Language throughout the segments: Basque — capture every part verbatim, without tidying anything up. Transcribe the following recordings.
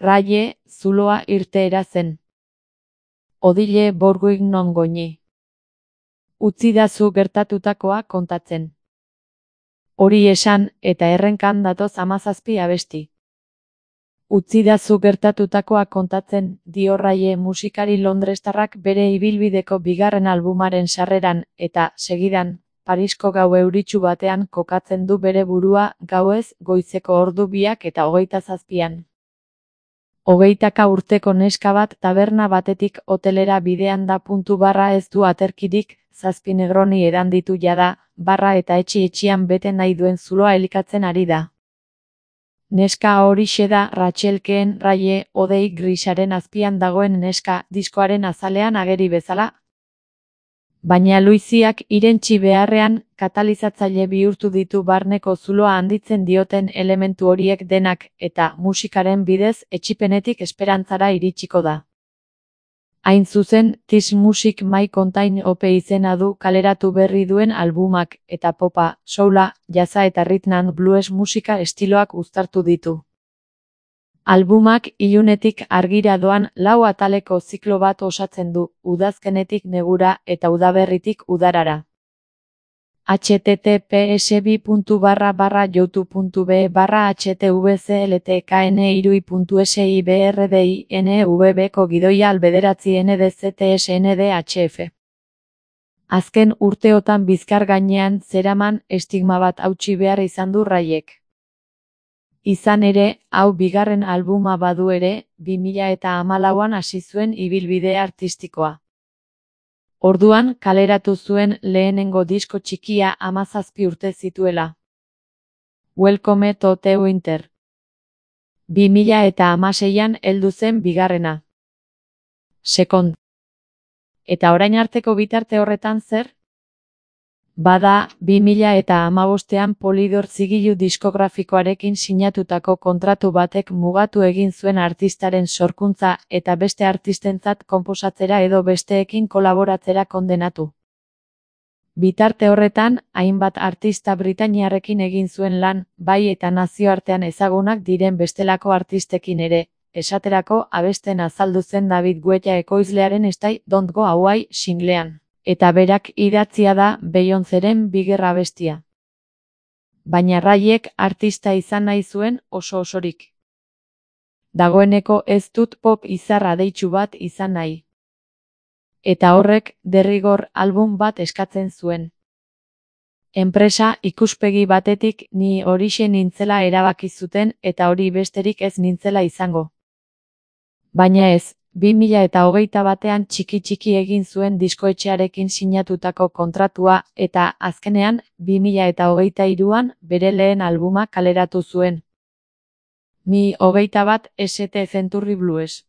Raye, zuloa irteera zen. Odile borguik non goñi. Utzidazu gertatutakoa kontatzen. Hori esan, eta errenkan datoz hamazazpi abesti. Utzidazu gertatutakoa kontatzen, dio Raye musikari londrestarrak bere ibilbideko bigarren albumaren sarreran, eta, segidan, Parisko gau euritsu batean kokatzen du bere burua, gauez, goizeko ordu biak eta hogeita zazpian. Hogeitaka urteko neska bat taberna batetik hotelera bidean da puntu barra ez du aterkirik, zazpi negroni edan ditu jada, barra eta etxi-etxian bete nahi duen zuloa elikatzen ari da. Neska horixe da Rachelkeen Raye, odei grisaren azpian dagoen neska, diskoaren azalean ageri bezala. Baina luiziak irentsi beharrean, katalizatzaile bihurtu ditu barneko zuloa handitzen dioten elementu horiek denak, eta musikaren bidez etsipenetik esperantzara iritsiko da. Hain zuzen, This Music My Contain ope izena du kaleratu berri duen albumak, eta popa, soula, jazza eta rhythm and blues musika estiloak uztartu ditu. Albumak ilunetik argira doan lau ataleko ziklo bat osatzen du, udazkenetik negura eta udaberritik udarara. https bi puntu barra barra youtube puntu be barra htvcltkni.sibrdinvb ko gidoia albederatzi ndztsndhf. Azken urteotan bizkar gainean zeraman estigma bat hautsi behar izan du Rayek. Izan ere, hau bigarren albuma badu ere, bi mila eta hamalauan hasi zuen ibilbide artistikoa. Orduan kaleratu zuen lehenengo disko txikia hamazazpi urte zituela. Welcome to the Winter. bi mila eta hamaseian heldu zen bigarrena. Second. Eta orain arteko bitarte horretan zer? Bada, bi mila eta hamabostean Polydor zigilu diskografikoarekin sinatutako kontratu batek mugatu egin zuen artistaren sorkuntza eta beste artistentzat konposatzera edo besteekin kolaboratzera kondenatu. Bitarte horretan, hainbat artista britainiarrekin egin zuen lan, bai eta nazioartean ezagunak diren bestelako artistekin ere, esaterako abesten azaldu zen David Guetta ekoizlearen Stay Don't Go Away singlean. Eta berak idatzia da Beyoncéren bigerra abestia. Baina Rayek artista izan nahi zuen oso osorik. Dagoeneko ez dut pop izarra deitsu bat izan nahi. Eta horrek, derrigor album bat eskatzen zuen. Enpresa ikuspegi batetik ni horixe nintzela erabaki zuten eta hori besterik ez nintzela izango. Baina ez, bi mila eta hogeita batean txiki-txiki egin zuen diskoetxearekin sinatutako kontratua eta azkenean bi mila eta hogeita hiruan bere lehen albuma kaleratu zuen. Mi hogeita bat St Century Blues.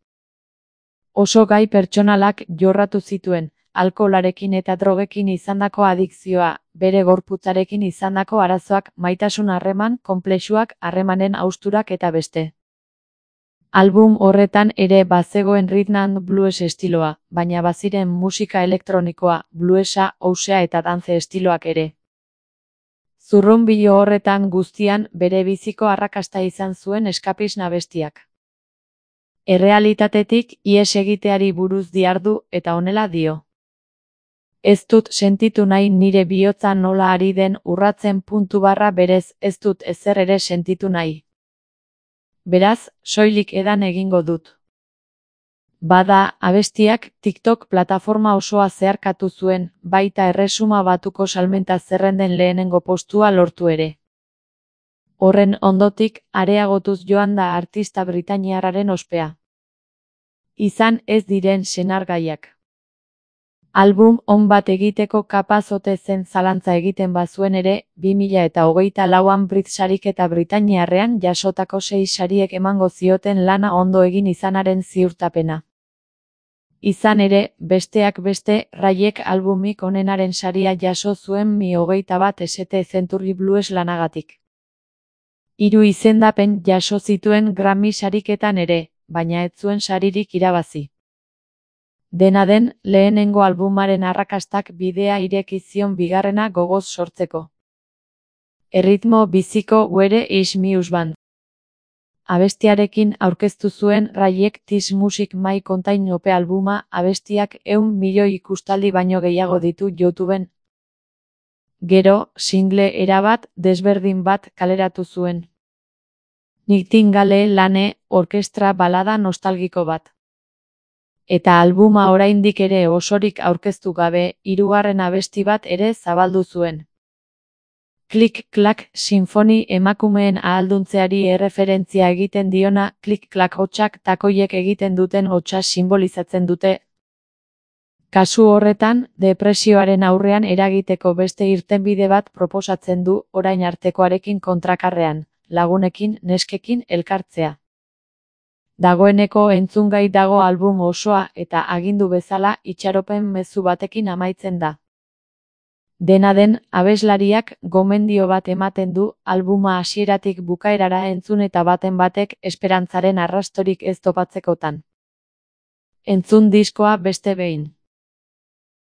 Oso gai pertsonalak jorratu zituen, alkoholarekin eta drogekin izandako adikzioa, bere gorputzarekin izandako arazoak, maitasun harreman, konplexuak, harremanen hausturak eta beste. Album horretan ere bazegoen rhythm and blues estiloa, baina baziren musika elektronikoa, bluesa, housea eta dance estiloak ere. Zurrunbilo horretan guztian bere biziko arrakasta izan zuen eskapisna abestiak. Errealitatetik ihes egiteari buruz dihardu eta honela dio. Ez dut sentitu nahi nire bihotza nola ari den urratzen puntu barra berez ez dut ezer ere sentitu nahi. Beraz, soilik edan egingo dut. Bada, abestiak TikTok plataforma osoa zeharkatu zuen, baita erresuma batuko salmenta zerrenden lehenengo postua lortu ere. Horren ondotik, areagotuz joan da artista britainiarraren ospea. Izan ez diren senargaiak. Album on bat egiteko kapaz ote zen zalantza egiten bazuen ere, bi mila eta hogeita lauan Brit sarik eta Britainiarrean jasotako sei sariek emango zioten lana ondo egin izanaren ziurtapena. Izan ere, besteak beste, Rayek albumik onenaren saria jaso zuen Mi hogeita bat St Century Blues lanagatik. Hiru izendapen jaso zituen Grammy sariketan ere, baina ez zuen saririk irabazi. Dena den, lehenengo albumaren arrakastak bidea ireki zion bigarrena gogoz sortzeko. Erritmo biziko Where is Muse Band. Abestiarekin aurkeztu zuen Rayek This Music My Contain Ope albuma, abestiak ehun milioi ikustaldi baino gehiago ditu YouTubeen. Gero, single erabat desberdin bat kaleratu zuen. Nightingale Lane, orkestra balada nostalgiko bat. Eta albuma oraindik ere osorik aurkeztu gabe, hirugarren abesti bat ere zabaldu zuen. Klik-klak sinfoni emakumeen ahalduntzeari erreferentzia egiten diona, klik-klak hotsak takoiek egiten duten hotsa simbolizatzen dute. Kasu horretan, depresioaren aurrean eragiteko beste irtenbide bat proposatzen du orain artekoarekin kontrakarrean, lagunekin, neskekin elkartzea. Dagoeneko entzungai dago album osoa eta agindu bezala itxaropen mezu batekin amaitzen da. Dena den, abeslariak gomendio bat ematen du albuma hasieratik bukaerara entzun eta baten batek esperantzaren arrastorik ez topatzekotan. Entzun diskoa beste behin.